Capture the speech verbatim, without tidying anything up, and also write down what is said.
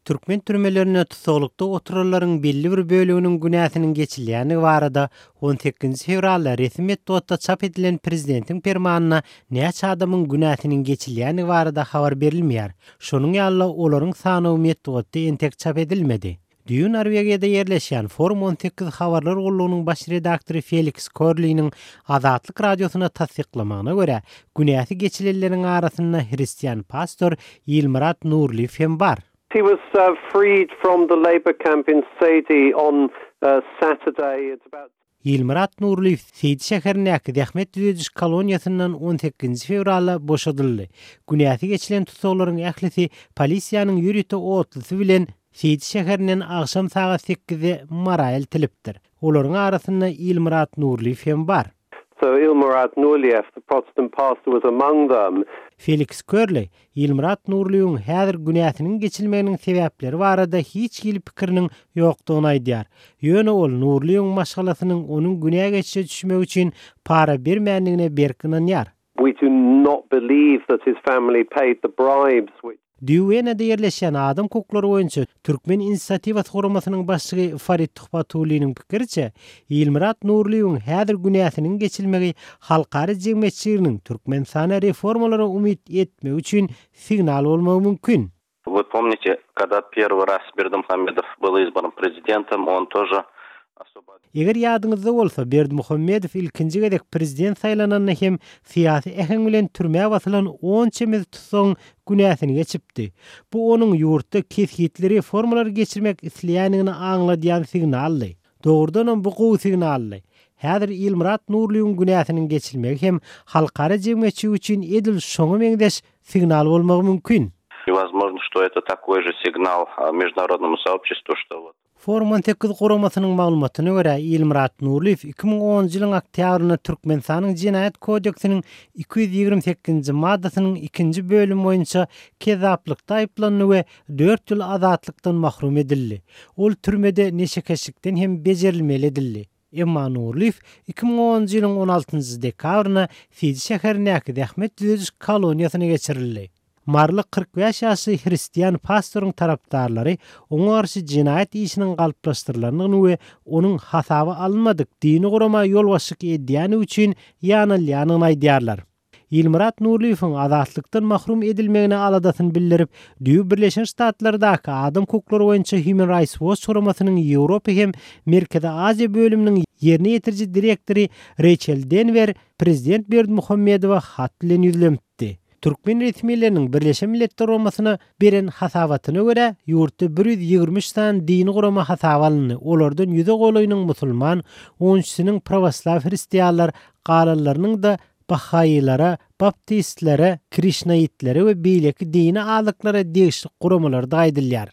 Türkmen türmelerinde tussaglykda oturanlaryň belli bir böleginiň günäsiniň geçilýändigi barada on sekizinji fewralda resmi metbugatda çap edilen prezidentiň permanynda näçe adamyň günäsiniň geçilýändigi barada habar berilmeýär. Şonuň ýaly olaryň sanawy metbugatda entek çap edilmedi. Düýn Norwegiýada ýerleşýän Forum on sekiz habarlar gullugynyň baş redaktory Feliks Körliniň Azatlyk radiosyna tassyklamagyna görä, günäsi geçilenleriň arasynda hristian pastor Ilmyrat Nurlyýew hem bar. He was uh, freed from the labor camp in Seydi on uh, Saturday. It's about Ilmyrat Nurlyýew Seýdi şäherindäki zähmet düzediş koloniýasyndan on sekizinji fewralda boşadyldy. Günäsi geçilen tussaglaryň ählisi polisiýanyň ýörite otlusy bilen Seýdi şäherinden agşam sagat sekizde Mara eltilipdir. Olaryň arasynda Ilmyrat Nurlyýew hem bar. So Ilmurad Nurliyev, the Protestant pastor, was among them. Feliks Körli, Ilmyrat Nurlyýewiň häzir günäsiniň geçilmeginiň sebäpleri barada hiç hili pikiriniň ýokdugyny aýdýar. Ýöne ol Nurlyýewiň maşgalasynyň onuň günä geçişe düşmegi üçin para bermändigine berk ynanýar. We do not believe that his family paid the bribes which Düwenede ýerleşýän adam hukuklary boýunça Türkmen inisiatiwasy guramasynyň başlygy Farid Tuhbatulliniň pikiriçe, Ilmyrat Nurlyýewiň häzir günäsiniň geçilmegi halkara jemgyýetçiliginiň Türkmenistana reformalara umyt etmegi üçin signal bolmagy mümkin. Вы помните, когда первый раз Бердымухамедов был избран президентом, он тоже особо Eger ýadyňyzda bolsa, Berdimuhamedow ilkinji gezek prezident saýlananda hem syýasy äheň bilen türmä basylan on çemesi tussagyň günäsini geçipdi. Bu onuň ýurtda kesgitli reformalar geçirmek isleýändigini aňladýan signaldy. Dogrudanam bu gowy signaldy. Häzir Ilmyrat Nurlyýewiň günäsiniň geçilmegi hem halkara jemgyýetçiligi üçin edil şoňa meňzeş signal bolmagy mümkin. И возможно, что это такой же сигнал, а, международному сообществу, что вот Forum on sekiz guramasynyň maglumatyna görä, Ilmyrat Nurlyýew iki müň onunjy ýylyň oktýabrynda Türkmenistanyň Jenaýat kodeksiniň iki ýüz ýigrimi sekizinji maddasynyň ikinji bölümi boýunça kezzaplykda aýyplandy we dört ýyl azatlykdan mahrum edildi. Ol türmede neşekeşlikden hem bejerilmeli edildi. Emma Nurlyýew iki müň onunjy ýylyň on altynjy dekabrynda Seýdi şäherindäki zähmet düzediş koloniýasyna geçirildi. Marly kyrk bäş ýaşly hristian pastoryň tarapdarlary oňa garşy jenaýat işiniň galplaşdyrylandygyny we onuň hasaba alynmadyk dini gurama ýolbaşçylyk edýäni üçin ýanalýanyny aýdýarlar. Ilmyrat Nurlyýewiň azatlykdan mahrum edilmegine aladasyny bildirip, Düýe Birleşen Ştatlardaky adam hukuklary boýunça Human Rights Watch guramasynyň Ýewropa hem Merkezi Aziýa bölüminiň ýerine ýetiriji direktory Rachel Denver prezident Berdimuhamedowa hat bilen ýüzlenipdi. Türkmen resmileriniň Birleşen Milletler Guramasyna beren hasabatyna görä, ýurtda bir ýüz ýigrimi üç sany dini gurama hasaba alyndy. Olardan ýüze golaýynyň musulman, on üçüsiniň pravoslav hristianlar, galanlarynyň da Bahaýylara, baptistlere, krişnaitlere we beýleki dini azlyklara degişli guramalarda aýdylýar.